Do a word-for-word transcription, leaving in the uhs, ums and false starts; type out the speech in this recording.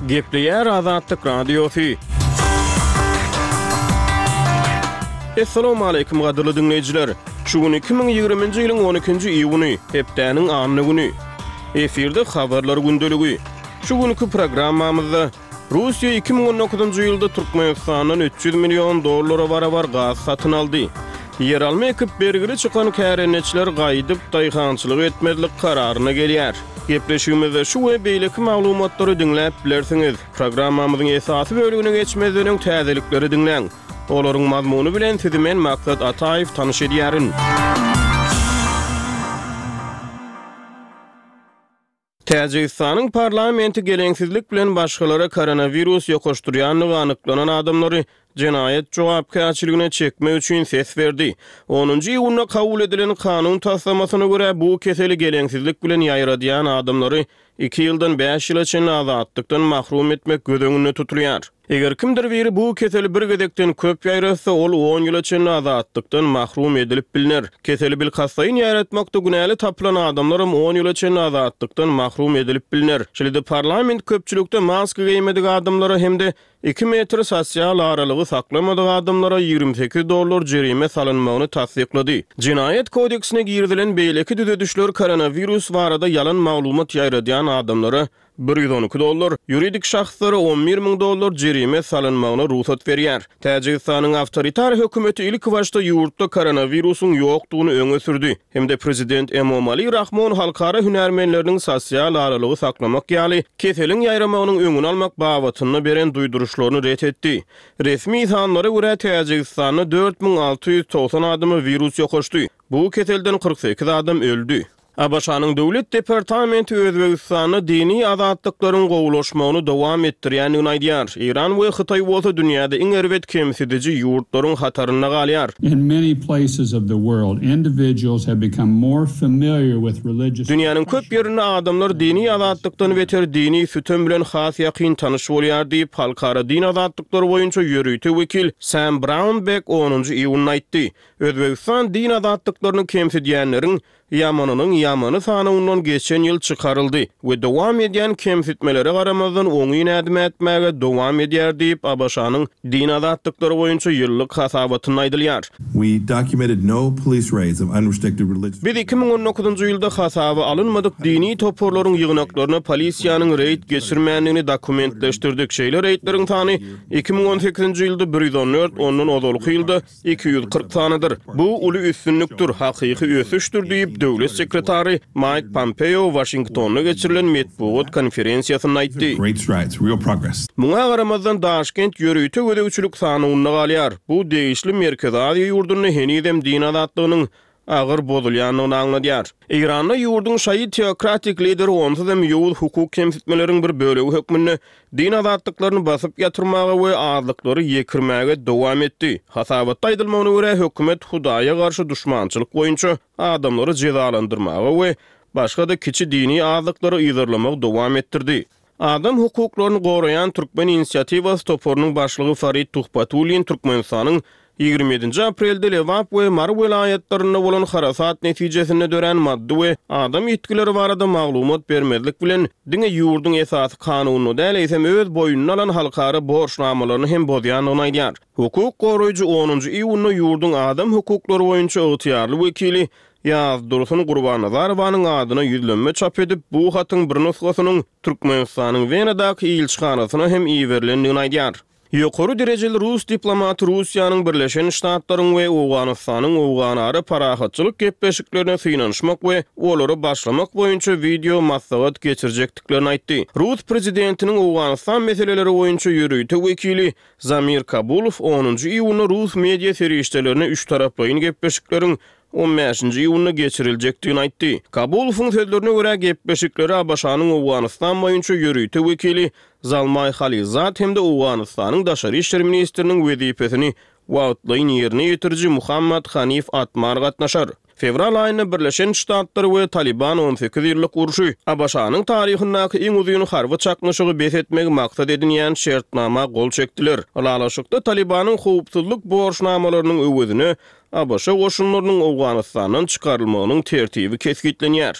Gepleýär Azatlyk Radiosy. Assalamualeykum gadyrly diňleýjiler. Şu gün iki müň ýigriminji ýylyň on ikinji iýuny, hepdäniň anna güni. Efirde habarlar gündeligi. Şu günki programmamyzda Russiýa iki müň on dokuzynjy ýylda Türkmenistandan üç ýüz million dollara barabar gaz satyn aldy. Ýeralma ekip bergili çykan kärendeçiler gaýdyp daýhançylyk etmezlik kararyna gelýär. Gepleşigimizde şu we beýleki maglumatlary diňläp bilersiňiz. Programmamyzyň esasy bölümine geçmezden öň täzelikleri diňläň. Olaryň mazmuny bilen sizi men Maksat Ataýew tanyş edýärin. Täjigistanyň parlamenti geleňsizlik bilen başgalara koronawirus ýokaşdyrýandygy anyklanan adamlary jenaýat jogapkärçiligine çekmek üçin ses berdi. Onunjy iýunda kabul edilen kanun taslamasyna görä, bu keseli geleňsizlik bilen ýaýradýan adamlary iki ýyldan bäş ýyla çenli azatlykdan mahrum etmek göz öňünde tutulýar. Eger kimdir biri bu keseli bir gezekden köp ýaýratsa, ol on ýyla çenli azatlykdan mahrum edilip bilner. Keseli bilkastlaýyn ýaýratmakda günäli tapylan adamlaram on ýyla çenli azatlykdan mahrum edilip bilner. Şeýle-de parlament köpçülikde maska geýmedik adamlara hem-de iki metr sosial aralygy saklamadyk adamlara ýigrimi sekiz dollar jerime salynmagyny tassyklady. Jenaýat kodeksine girizilen beýleki düzedişler koronawirus barada ýalan maglumat ýaýradýan adamlara bir ýüz on iki dollar, ýuridik şahslara on bir müň dollar jerime salynmagyna rugsat berýär. Täjigistanyň awtoritar hökümeti ilki başda ýurtda koronawirusyň ýokdugyny öňe sürdi hem-de prezident Emomali Rahmon halkara hünärmenleriniň sosial aralygy saklamak ýaly keseliň ýaýramagynyň öňüni almak babatynda beren duýduryşlaryny ret etdi. Resmi sanlara görä Täjigistanda dört müň alty ýüz togsan adama wirus ýokaşdy. Bu keselden kyrk sekiz adam öldi. A B Ş-nyň Döwlet departamenti Özbegistanda dini azatlyklaryň gowulaşmagyny dowam etdirýändigini aýdýar. Eýran we Hytaý bolsa dünýäde iň erbet kemsidiji ýurtlaryň hatarynda galýar. In many places of the world, individuals have become more familiar with religious Dünýäniň köp ýerinde adamlar dini azatlykdan beter dini sütem bilen has ýakyn tanyş bolýar diýip, Halkara din azatlyklary boýunça ýörite wekil Sam Brownback onunjy iýunda aýtdy. Özbegistan din azatlyklaryny kemsidýänleriň ýamanynyň ýamany sanawyndan geçen ýyl çykaryldy we dowam edýän kemsitmelere garamazdan oňyn ädim ätmäge dowam edýär diýip, A B Ş-nyň din azatlyklary boýunça ýyllyk hasabatynda aýdylýar. We documented no police raids of unrestricted religious Biz iki müň on dokuzynjy ýylda hasaba alynmadyk dini toparlaryň ýygnaklaryna polisiýanyň reýd geçirmändigini dokumentleşdirdik. Şeýle reýdleriň sany iki müň on sekizinji ýylda bir ýüz on dört, ondan ozalky ýylda iki ýüz kyrk sanydyr. Bu uly üstünlikdir, hakyky ösüşdir diýip, döwlet sekretary Maýk Pompeo Waşingtonda geçirilen metbugat konferensiýasynda aýtdy. Great strides, real progress. Muňa garamazdan Daşkent ýörite gözegçilik sanawynda galýar. Bu degişli Merkezi Aziýa ýurdunda henizem din azatlygynyň agyr bozulýandygyny aňladýar. Eýranda ýurduň şaýy teokratik lideri onsuz hem ýowuz hukuk kemsitmeleriň bir bölegi hökmünde din azatlyklaryny basyp ýatyrmaga we azlyklary ýekirmäge dowam etdi. Hasabatda aýdylmagyna görä, hökümet Hudaýa garşy duşmançylyk boýunça adamlary jezalandyrmaga we başga-da kiçi dini azlyklary yzarlamagy dowam etdirdi. Adam hukuklaryny goraýan Türkmen inisiatiwasy toparynyň başlygy Farid Tuhbatullin Türkmenistanyň ýigrimi ýedinji aprelde Lebap we Mary welaýatlarynda bolan harasat netijesinde dörän maddy we adam ýitgileri barada maglumat bermezlik bilen diňe ýurduň esasy kanunyny däl, eýsem öz boýnuna alan halkara borçnamalaryny hem bozýandygyny aýdýar. Hukuk goraýjy onunjy iýunda ýurduň adam hukuklary boýunça ygtyýarly wekili Ýazdursun Gurbannazarowanyň adyna ýüzlenme çap edip, bu hatyň bir nusgasynyň Türkmenistanyň Wenadaky ilçihanasyna hem iberilendigini aýdýar. Ýokary derejeli rus diplomaty Russiýanyň Birleşen Ştatlaryň we Owganystanyň Owganara parahatçylyk gepleşiklerine synanyşmak we olary başlamak boýunça wideo maslahat geçirjekdiklerini aýtdy. Rus prezidentiniň Owganystan meseleleri boýunça ýörite wekili Zamir Kabulow onunjy iýunda rus media serişdelerine üç taraplaýyn gepleşikleriň on bäşinji iýunda geçiriljekdigini aýtdy. Kabulowyň sözlerine görä, gepleşikleri A B Ş-nyň Owganystan boýunça ýörite wekili Zalmaý Halilzad hem-de Owganystanyň daşary işler ministriniň wezipesini wagtlaýyn ýerine ýetiriji Muhammad Hanif Atmar gatnaşar. Fewral aýynda Birleşen Ştatlar we Taliban on sekiz ýyllyk urşy, A B Ş-nyň taryhyndaky iň uzyn harby çaknyşygy bes etmegi maksat edinýän şertnama gol çekdiler. Ylalaşykda Talibanyň howpsuzlyk borçnamalarynyň öwezine A B Ş goşunlarynyň Owganystandan çykarylmagynyň tertibi kesgitlenýär.